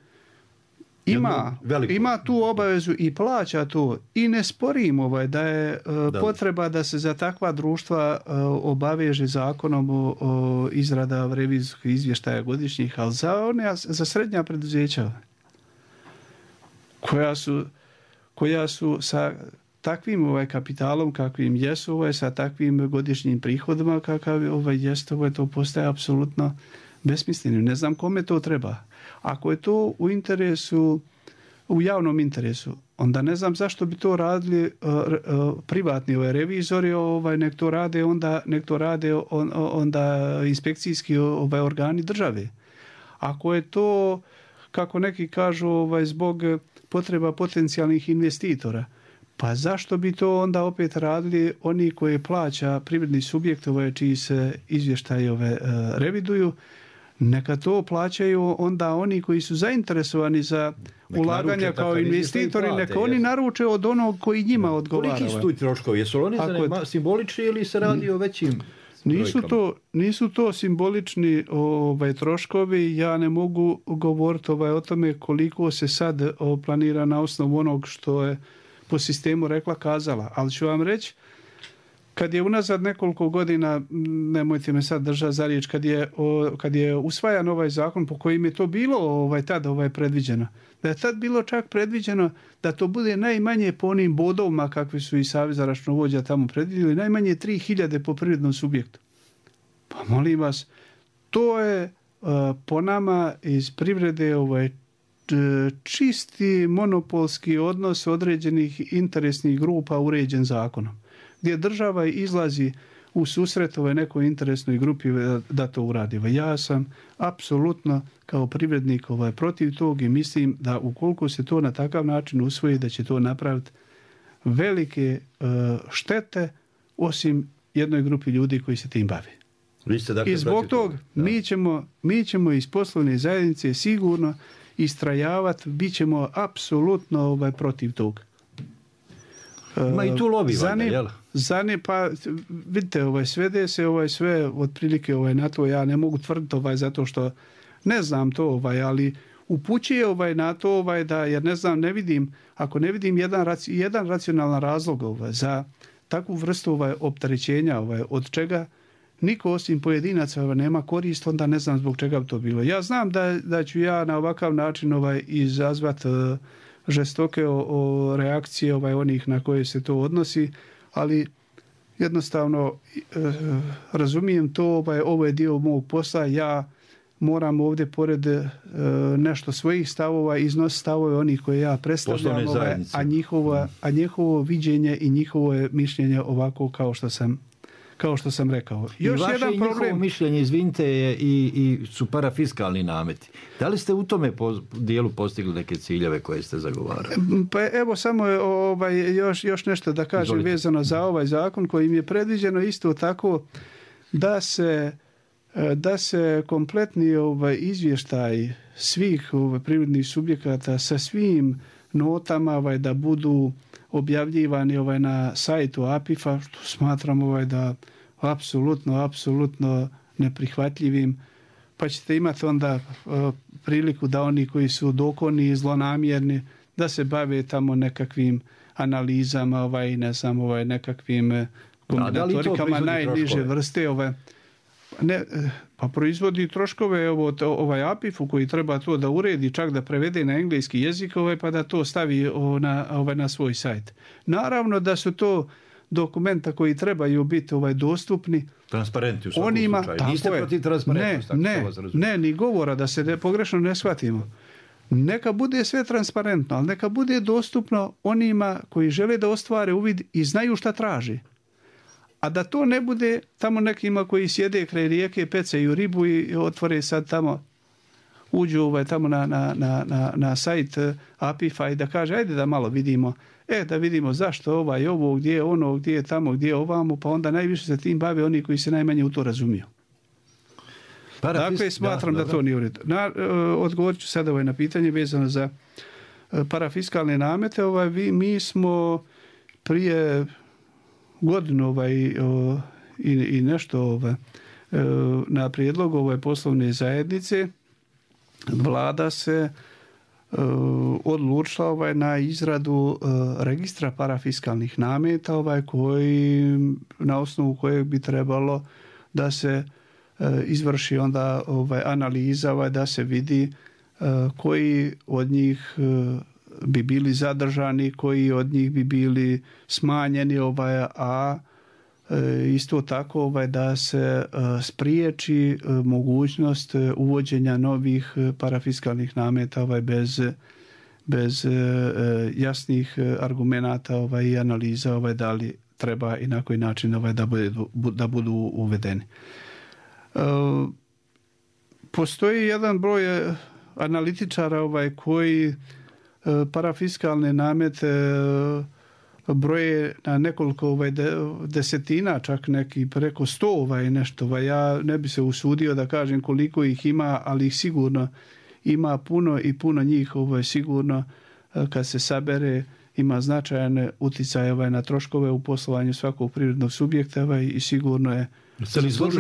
ima tu obavezu i plaća to i ne sporim da je potreba da se za takva društva obaveže zakonom o izrada revizijskih izvještaja godišnjih, ali za srednja preduzeća koja su sa takvim kapitalom kakvim jesu, sa takvim godišnjim prihodima kakav jest, to postaje apsolutno besmisleno. Ne znam kome to treba. Ako je to u javnom interesu, onda ne znam zašto bi to radili privatni revizori, nek to rade onda inspekcijski organi države. Ako je to, kako neki kažu, zbog potreba potencijalnih investitora, pa zašto bi to onda opet radili oni koji plaća privredni subjekt čiji se izvještaji reviduju? Neka to plaćaju onda oni koji su zainteresovani za ulaganja kao investitori, neka oni naruče od onog koji njima odgovara. Koliki su tu troškovi? Jesu oni simbolični ili se radi o većim brojkama? Nisu to simbolični troškovi. Ja ne mogu govoriti o tome koliko se sad planira na osnovu onog što je po sistemu rekla kazala. Ali ću vam reći, kad je unazad nekoliko godina, nemojte me sad držati za riječ, kad je usvajan ovaj zakon po kojim je to bilo tada predviđeno, da je tad bilo čak predviđeno da to bude najmanje po onim bodovima kakvi su i Savez računovođa tamo predvidjeli, najmanje 3.000 po privrednom subjektu. Pa molim vas, to je po nama iz privrede čisti monopolski odnos određenih interesnih grupa uređen zakonom, gdje država izlazi u susret nekoj interesnoj grupi da to uradi. Ja sam apsolutno kao privrednik protiv tog i mislim da ukoliko se to na takav način usvoji, da će to napraviti velike štete osim jednoj grupi ljudi koji se tim bave. I zbog tog mi ćemo iz poslovne zajednice sigurno istrajavati, bit ćemo apsolutno protiv tog. Ma i tu lobi valjda, jel? Pa vidite, svede se sve otprilike na to, ja ne mogu tvrditi zato što ne znam to, ali upućuje na to da, jer ne znam, ako ne vidim jedan racionalan razlog za takvu vrstu opterećenja od čega niko osim pojedinaca nema korist, onda ne znam zbog čega bi to bilo. Ja znam da ću ja na ovakav način izazvati žestoke reakcije onih na koje se to odnosi, ali jednostavno razumijem to, ovo je dio mog posla, ja moram ovdje pored nešto svojih stavova iznositi stavove onih koje ja predstavljam, a njihovo viđenje i njihovo mišljenje ovako kao što sam rekao. Još jedan problem. Njihovo mišljenje, izvinite, i su parafiskalni nameti. Da li ste u tome dijelu postigli neke ciljeve koje ste zagovarali? Pa evo samo još nešto da kažem. Izvolite. Vezano za ovaj zakon kojim je predviđeno isto tako da se kompletni izvještaj svih privrednih subjekata sa svim notama da budu objavljivani na sajtu APIF-a, što smatram da apsolutno neprihvatljivim, pa ćete imati onda priliku da oni koji su dokoni i zlonamjerni da se bave tamo nekakvim analizama, nekakvim kombinatorikama najniže vrste. Pa proizvodi troškove APIF-u koji treba to da uredi, čak da prevede na engleski jezik, pa da to stavi na svoj sajt. Naravno dokumenta koji trebaju biti dostupni transparentni u svakom slučaju. Niste protiv transparentnosti? Ne, ni govora, da se pogrešno ne shvatimo. Neka bude sve transparentno, ali neka bude dostupno onima koji žele da ostvare uvid i znaju šta traži. A da to ne bude tamo nekima koji sjede kraj rijeke, pecaju ribu i otvore sad tamo, uđu tamo na sajt Apifa i da kaže ajde da malo vidimo, da vidimo zašto ovo, gdje je ono, gdje je tamo, gdje je ovamo, pa onda najviše se tim bave oni koji se najmanje u to razumiju. Dakle, smatram da to nije u redu. Odgovorit ću sada na pitanje vezano za parafiskalne namete. Mi smo prije godinu i nešto na prijedlog poslovne zajednice Vlada se odlučila na izradu registra parafiskalnih nameta na osnovu kojeg bi trebalo da se izvrši onda analiza da se vidi koji od njih bi bili zadržani, koji od njih bi bili smanjeni, a isto tako da se spriječi mogućnost uvođenja novih parafiskalnih nameta bez jasnih argumenata i analiza da li treba i na koji način da budu uvedeni. Postoji jedan broj analitičara koji parafiskalne namete broje na nekoliko desetina, čak neki preko 100 nešto. Ja ne bi se usudio da kažem koliko ih ima, ali ih sigurno ima puno i puno njih sigurno kad se sabere ima značajan utjecaj na troškove u poslovanju svakog privrednog subjekta i sigurno je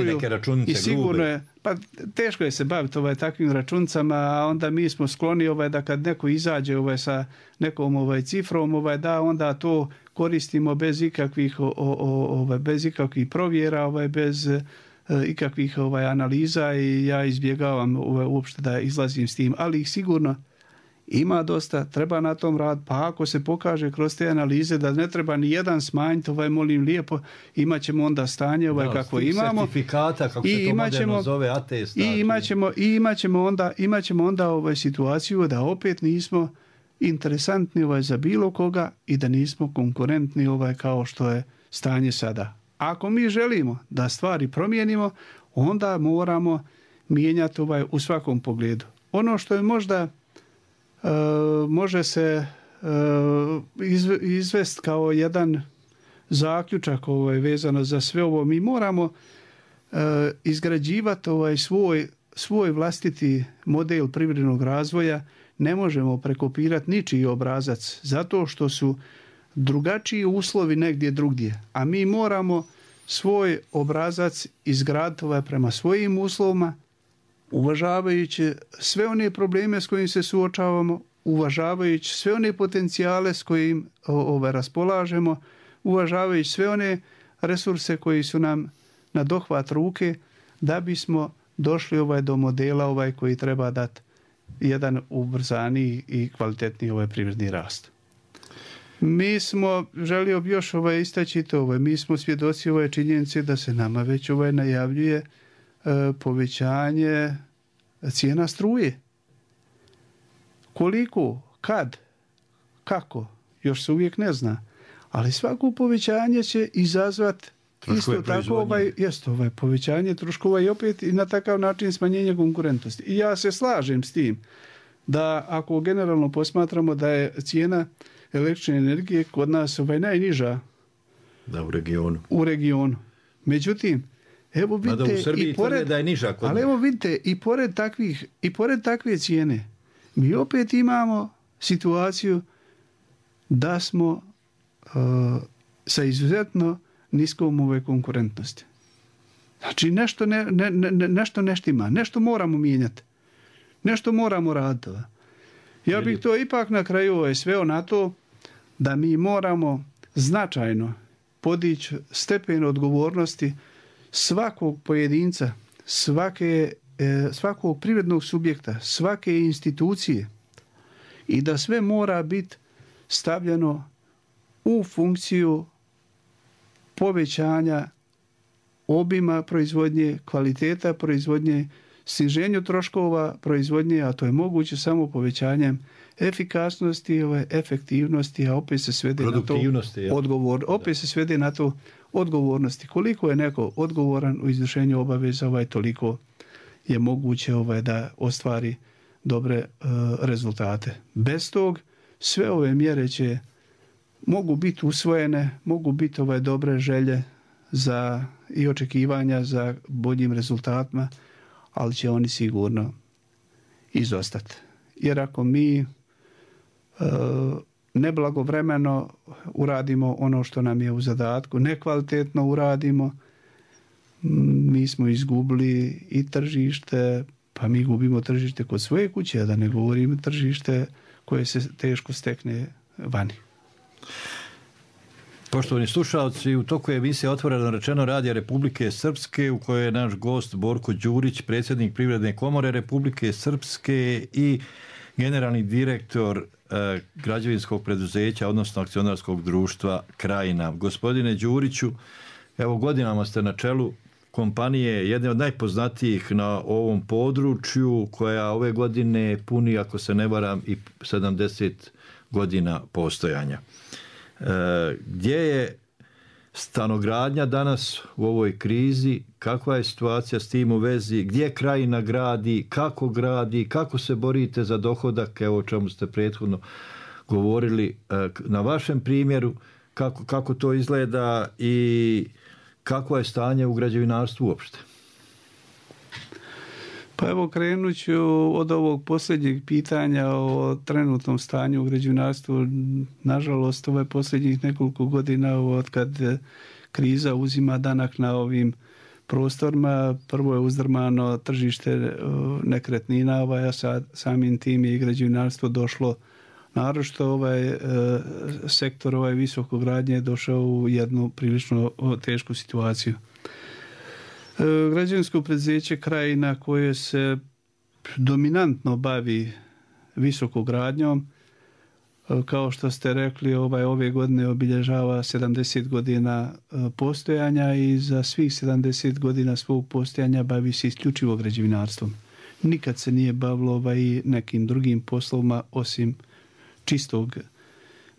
neke računice, i sigurno je, pa teško je se baviti takvim računicama, a onda mi smo skloni da kad neko izađe sa nekom cifrom, da onda to koristimo bez ikakvih provjera, bez ikakvih analiza i ja izbjegavam uopšte da izlazim s tim, ali ih sigurno ima dosta, treba na tom rad, pa ako se pokaže kroz te analize da ne treba ni jedan smanjiti, molim lijepo, imat ćemo onda stanje kako imamo. Certifikata, kako se to moderno zove, atest. Imat ćemo onda situaciju da opet nismo interesantni za bilo koga i da nismo konkurentni kao što je stanje sada. Ako mi želimo da stvari promijenimo, onda moramo mijenjati u svakom pogledu. Ono što je možda može se izvesti kao jedan zaključak vezano za sve ovo. Mi moramo izgrađivati svoj vlastiti model privrednog razvoja. Ne možemo prekopirati ničiji obrazac zato što su drugačiji uslovi negdje drugdje. A mi moramo svoj obrazac izgraditi prema svojim uslovima, uvažavajući sve one probleme s kojim se suočavamo, uvažavajući sve one potencijale s kojim raspolažemo, uvažavajući sve one resurse koji su nam na dohvat ruke, da bismo došli do modela koji treba dati jedan ubrzaniji i kvalitetniji privredni rast. Mi smo, želio bi još istaći to, mi smo svjedoci činjenice da se nama već najavljuje povećanje cijena struje. Koliko, kad, kako, još se uvijek ne zna. Ali svako povećanje će izazvati isto tako povećanje troškova i opet i na takav način smanjenje konkurentnosti. I ja se slažem s tim da ako generalno posmatramo da je cijena električne energije kod nas najniža u regionu. Međutim, evo vidite, i pored takve cijene mi opet imamo situaciju da smo sa izuzetno niskom konkurentnosti. Znači nešto ne štima, nešto moramo mijenjati, nešto moramo raditi. Ja bih to ipak na kraju sveo na to da mi moramo značajno podići stepen odgovornosti svakog pojedinca, svakog privrednog subjekta, svake institucije i da sve mora biti stavljeno u funkciju povećanja obima proizvodnje, kvaliteta proizvodnje, sniženju troškova proizvodnje, a to je moguće samo povećanjem efikasnosti, efektivnosti, a opet se svede na to opet se svede na to odgovornosti. Koliko je neko odgovoran u izvršenju obaveza, toliko je moguće da ostvari dobre rezultate. Bez tog sve ove mjere mogu biti usvojene, mogu biti dobre želje za i očekivanja za boljim rezultatima, ali će oni sigurno izostati. Jer ako mi neblagovremeno uradimo ono što nam je u zadatku, nekvalitetno uradimo, mi smo izgubili i tržište, pa mi gubimo tržište kod svoje kuće, da ne govorimo tržište koje se teško stekne vani. Poštovani slušalci, u toku je emisija Otvoreno rečeno Radija Republike Srpske, u kojoj je naš gost Borko Đurić, predsjednik Privredne komore Republike Srpske i generalni direktor građevinskog preduzeća, odnosno akcionarskog društva Krajina. Gospodine Đuriću, evo godinama ste na čelu kompanije, jedne od najpoznatijih na ovom području, koja ove godine puni, ako se ne varam, i 70 godina postojanja. Gdje je stanogradnja danas u ovoj krizi, kakva je situacija s tim u vezi, gdje Krajina gradi, kako se borite za dohodak, evo o čemu ste prethodno govorili na vašem primjeru, kako to izgleda i kakvo je stanje u građevinarstvu uopšte? Pa evo, krenut ću od ovog posljednjeg pitanja o trenutnom stanju u građevinarstvu. Nažalost, ovo je posljednjih nekoliko godina od kad kriza uzima danak na ovim prostorima. Prvo je uzdrmano tržište nekretnina, a samim tim je i građevinarstvo došlo, naročito sektor visokogradnje je došao u jednu prilično tešku situaciju. Građevinsko preduzeće Krajina, koje se dominantno bavi visokogradnjom, kao što ste rekli, ove godine obilježava 70 godina postojanja i za svih 70 godina svog postojanja bavi se isključivo građevinarstvom. Nikad se nije bavilo i nekim drugim poslovima osim čistog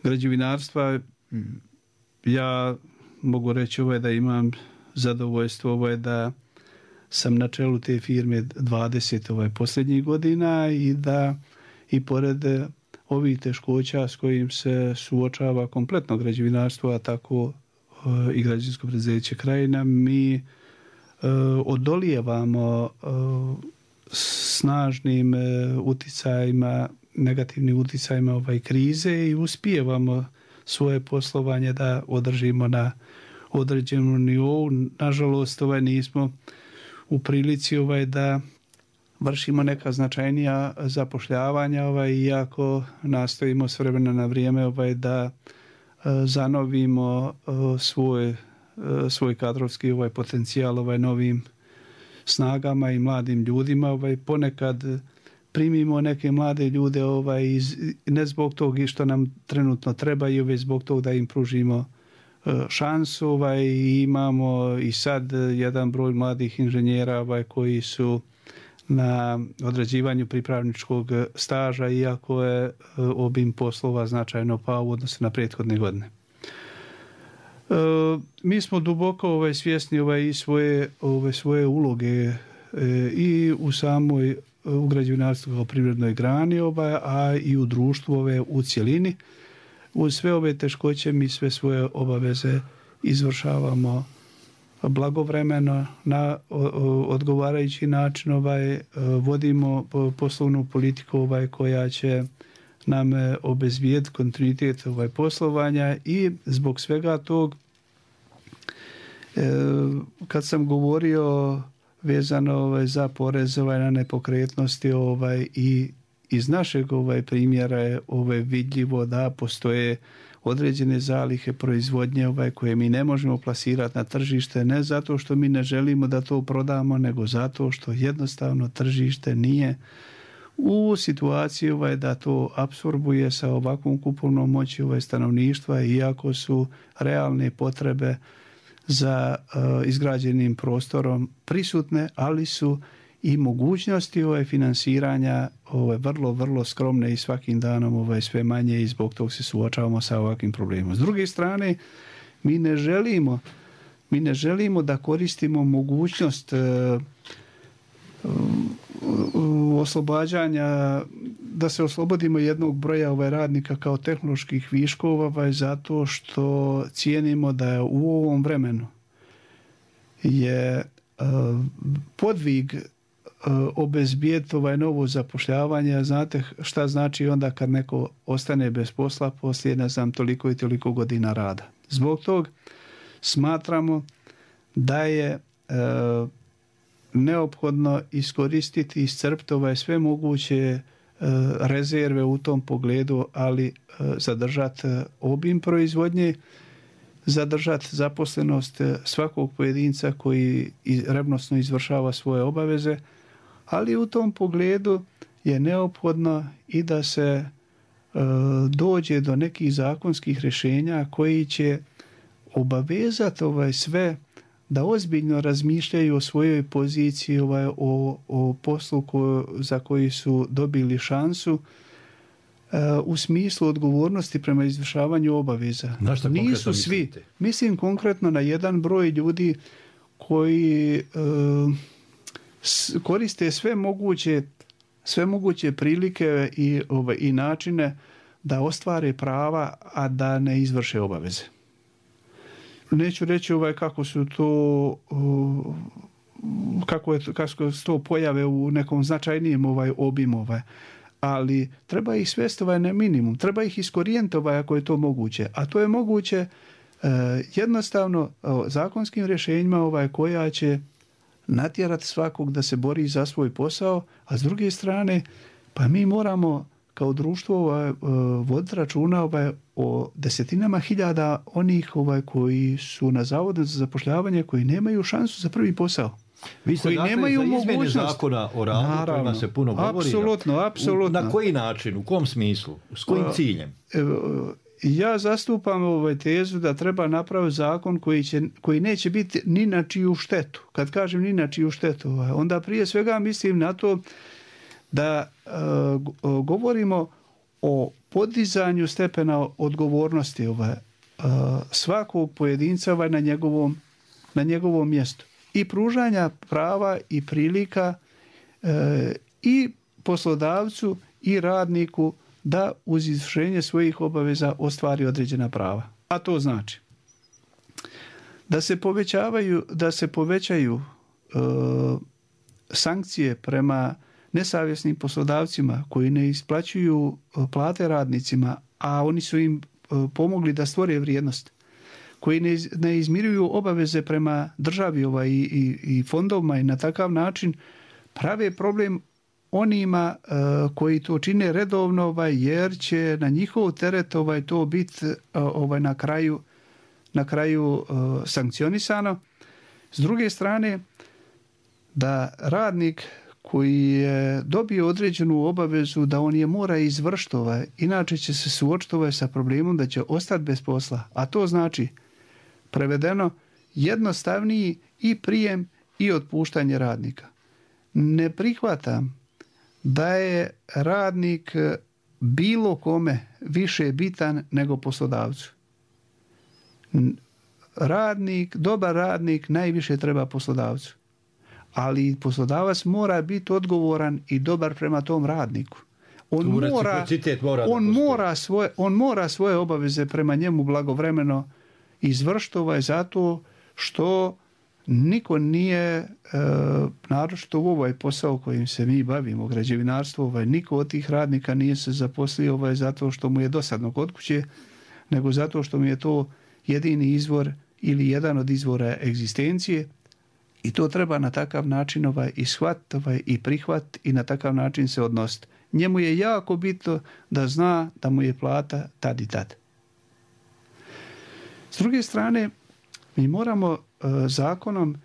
građevinarstva. Ja mogu reći da imam zadovoljstvo da sam na čelu te firme 20 posljednjih godina i da i pored ovih teškoća s kojim se suočava kompletno građevinarstvo, a tako i građevinsko preduzeće Krajina, mi odolijevamo snažnim uticajima, negativnim uticajima krize i uspijevamo svoje poslovanje da održimo na određenom nivou. Nažalost, nismo u prilici da vršimo neka značajnija zapošljavanja, iako nastojimo s vremena na vrijeme da zanovimo svoj kadrovski potencijal novim snagama i mladim ljudima. Ponekad primimo neke mlade ljude ne zbog toga što nam trenutno treba, i već zbog toga da im pružimo šansu. Imamo i sad jedan broj mladih inženjera koji su na odrađivanju pripravničkog staža, iako je obim poslova značajno pao u odnosu na prethodne godine. Mi smo duboko svjesni i svoje uloge i u samoj u građevinarstvu kao privrednoj grani, a i u društvu u cjelini. Uz sve ove teškoće mi sve svoje obaveze izvršavamo blagovremeno, na odgovarajući način, vodimo poslovnu politiku koja će nam obezbijediti kontinuitet poslovanja, i zbog svega tog, kad sam govorio vezano za porez na nepokretnosti, i iz našeg primjera je vidljivo da postoje određene zalihe proizvodnje koje mi ne možemo plasirati na tržište, ne zato što mi ne želimo da to prodamo, nego zato što jednostavno tržište nije u situaciji da to apsorbuje sa ovakvom kupovnom moći stanovništva, iako su realne potrebe za izgrađenim prostorom prisutne, ali su i mogućnosti finansiranja vrlo, vrlo skromne i svakim danom sve manje i zbog toga se suočavamo sa ovakvim problemom. S druge strane, mi ne želimo da koristimo mogućnost oslobađanja, da se oslobodimo jednog broja radnika kao tehnoloških viškova zato što cijenimo da je u ovom vremenu je podvig obezbijeti novo zapošljavanje. Znate šta znači onda kad neko ostane bez posla poslije toliko i toliko godina rada. Zbog tog smatramo da je neophodno iskoristiti i iscrpiti sve moguće rezerve u tom pogledu, ali zadržati obim proizvodnje, zadržati zaposlenost svakog pojedinca koji revnosno izvršava svoje obaveze, ali u tom pogledu je neophodno i da se dođe do nekih zakonskih rješenja koji će obavezati sve da ozbiljno razmišljaju o svojoj poziciji, o poslu za koji su dobili šansu u smislu odgovornosti prema izvršavanju obaveza. Nisu svi. Mislim konkretno na jedan broj ljudi koji koriste sve moguće prilike i načine da ostvare prava, a da ne izvrše obaveze. Neću reći kako su to kako su to pojave u nekom značajnijem obimu, ali treba ih svesti na minimum, treba ih iskorijeniti ako je to moguće, a to je moguće jednostavno zakonskim rješenjima koja će natjerati svakog da se bori za svoj posao, a s druge strane pa mi moramo kao društvo voditi računa o desetinama hiljada onih koji su na zavodu za zapošljavanje, koji nemaju šansu za prvi posao. Vi ste nemaju za izmjene zakona o radu, kojima se puno govori. Apsolutno. Na koji način, u kom smislu, s kojim ciljem? Ja zastupam tezu da treba napraviti zakon koji neće biti ni na čiju štetu. Kad kažem ni na čiju štetu, onda prije svega mislim na to da govorimo o podizanju stepena odgovornosti svakog pojedinca na njegovom mjestu i pružanja prava i prilika i poslodavcu i radniku da uz izvršenje svojih obaveza ostvari određena prava. A to znači da se povećaju sankcije prema nesavjesnim poslodavcima koji ne isplaćuju plate radnicima, a oni su im pomogli da stvore vrijednost, koji ne izmiruju obaveze prema državi i fondovima i na takav način prave problem onima koji to čine redovno, jer će na njihov teret to biti na kraju sankcionisano. S druge strane, da radnik koji je dobio određenu obavezu da on je mora izvršiti, inače će se suočiti sa problemom da će ostati bez posla. A to znači, prevedeno, jednostavniji i prijem i otpuštanje radnika. Ne prihvatam da je radnik bilo kome više bitan nego poslodavcu. Dobar radnik najviše treba poslodavcu. Ali poslodavac mora biti odgovoran i dobar prema tom radniku. On mora svoje obaveze prema njemu blagovremeno izvršiti zato što niko nije, naročito u ovaj posao kojim se mi bavimo, građevinarstvo, niko od tih radnika nije se zaposlio zato što mu je dosadno kod kuće, nego zato što mu je to jedini izvor ili jedan od izvora egzistencije. I to treba na takav način ishvatiti i prihvatiti i na takav način se odnositi. Njemu je jako bitno da zna da mu je plata tad i tad. S druge strane, mi moramo zakonom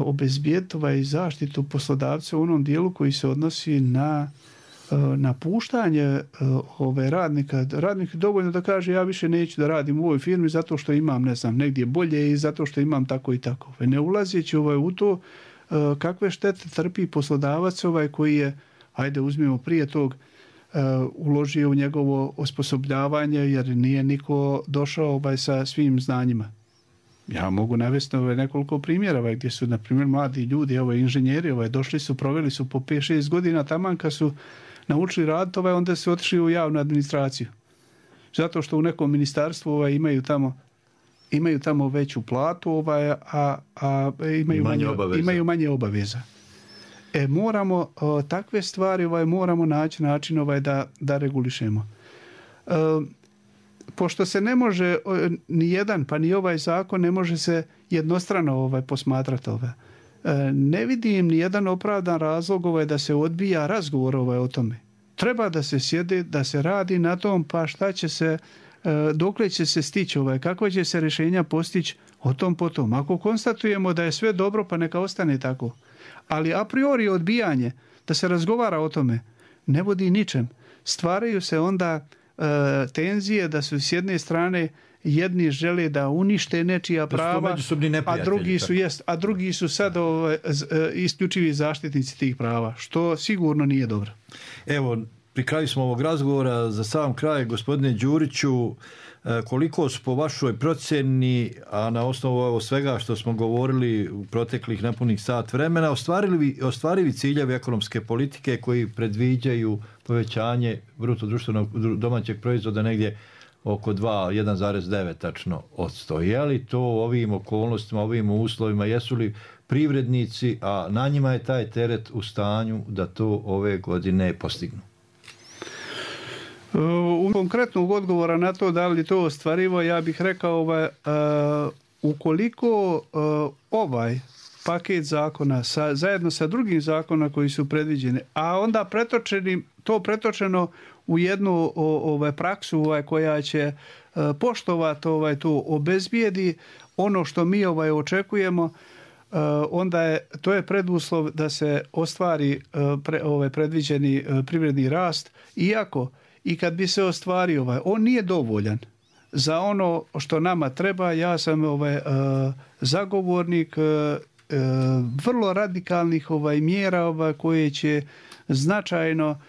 obezbijeti zaštitu poslodavca u onom dijelu koji se odnosi na napuštanje radnika dovoljno da kaže ja više neću da radim u ovoj firmi zato što imam, ne znam, negdje bolje i zato što imam tako i tako. Ne ulazeći u to kakve štete trpi poslodavac koji je, ajde uzmimo prije tog, uložio u njegovo osposobljavanje jer nije niko došao sa svim znanjima. Ja mogu navesti nekoliko primjera gdje su, na primjer, mladi ljudi, inženjeri, došli su, proveli su po 5-6 godina, taman kad su naučili raditi, onda su otišli u javnu administraciju. Zato što u nekom ministarstvu imaju tamo veću platu, a imaju manje obaveza. Moramo takve stvari moramo naći način da regulišemo. Pošto se ne može ni jedan, pa ni ovaj zakon ne može se jednostrano posmatrati ne vidim ni jedan opravdan razlog da se odbija razgovor o tome. Treba da se sjede, da se radi na tom, pa šta će se, dokle će se stići, kako će se rješenja postići, o tom potom. Ako konstatujemo da je sve dobro, pa neka ostane tako. Ali a priori odbijanje, da se razgovara o tome, ne vodi ničem. Stvaraju se onda tenzije da su s jedne strane jedni žele da unište nečija prava, a drugi su sad isključivi zaštitnici tih prava, što sigurno nije dobro. Evo, pri kraju smo ovog razgovora, za sam kraj, gospodine Đuriću, koliko su po vašoj procjeni, a na osnovu svega što smo govorili u proteklih nepunih sat vremena, ostvarivi ciljevi ekonomske politike koji predviđaju povećanje bruto društvenog domaćeg proizvoda negdje oko 1,9 tačno odsto. Je li to u ovim okolnostima, ovim uslovima, jesu li privrednici, a na njima je taj teret, u stanju da to ove godine postignu? U konkretnog odgovora na to da li to ostvarivo, ja bih rekao ukoliko ovaj paket zakona zajedno sa drugim zakona koji su predviđeni, a onda pretočeno u jednu praksu koja će poštovati to obezbijedi ono što mi očekujemo, onda to je preduslov da se ostvari predviđeni privredni rast, iako i kad bi se ostvario on nije dovoljan za ono što nama treba. Ja sam zagovornik vrlo radikalnih mjera koje će značajno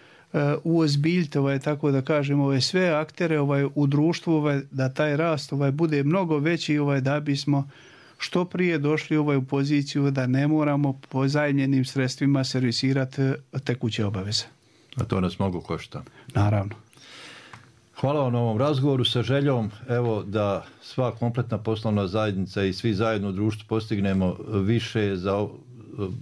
uozbiljiti, tako da kažem, sve aktere u društvu, da taj rast bude mnogo veći, da bismo što prije došli u poziciju da ne moramo po zajemljenim sredstvima servisirati tekuće obaveze. A to nas mnogo košta. Naravno. Hvala vam na ovom razgovoru sa željom da sva kompletna poslovna zajednica i svi zajedno u društvu postignemo više za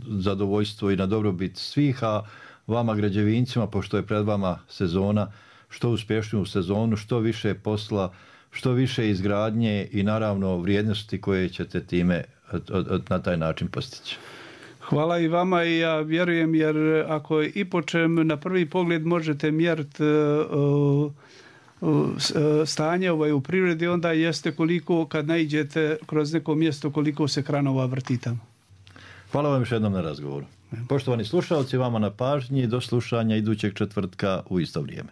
zadovoljstvo i na dobrobit svih, a vama građevincima, pošto je pred vama sezona, što uspješniju sezonu, što više posla, što više izgradnje i naravno vrijednosti koje ćete time na taj način postići. Hvala i vama i ja vjerujem, jer ako i po čem na prvi pogled možete mjeriti stanje u prirodi, onda jeste koliko kad naiđete kroz neko mjesto koliko se kranova vrti tamo. Hvala vam još jednom na razgovoru. Poštovani slušalci, vama na pažnji, do slušanja idućeg četvrtka u isto vrijeme.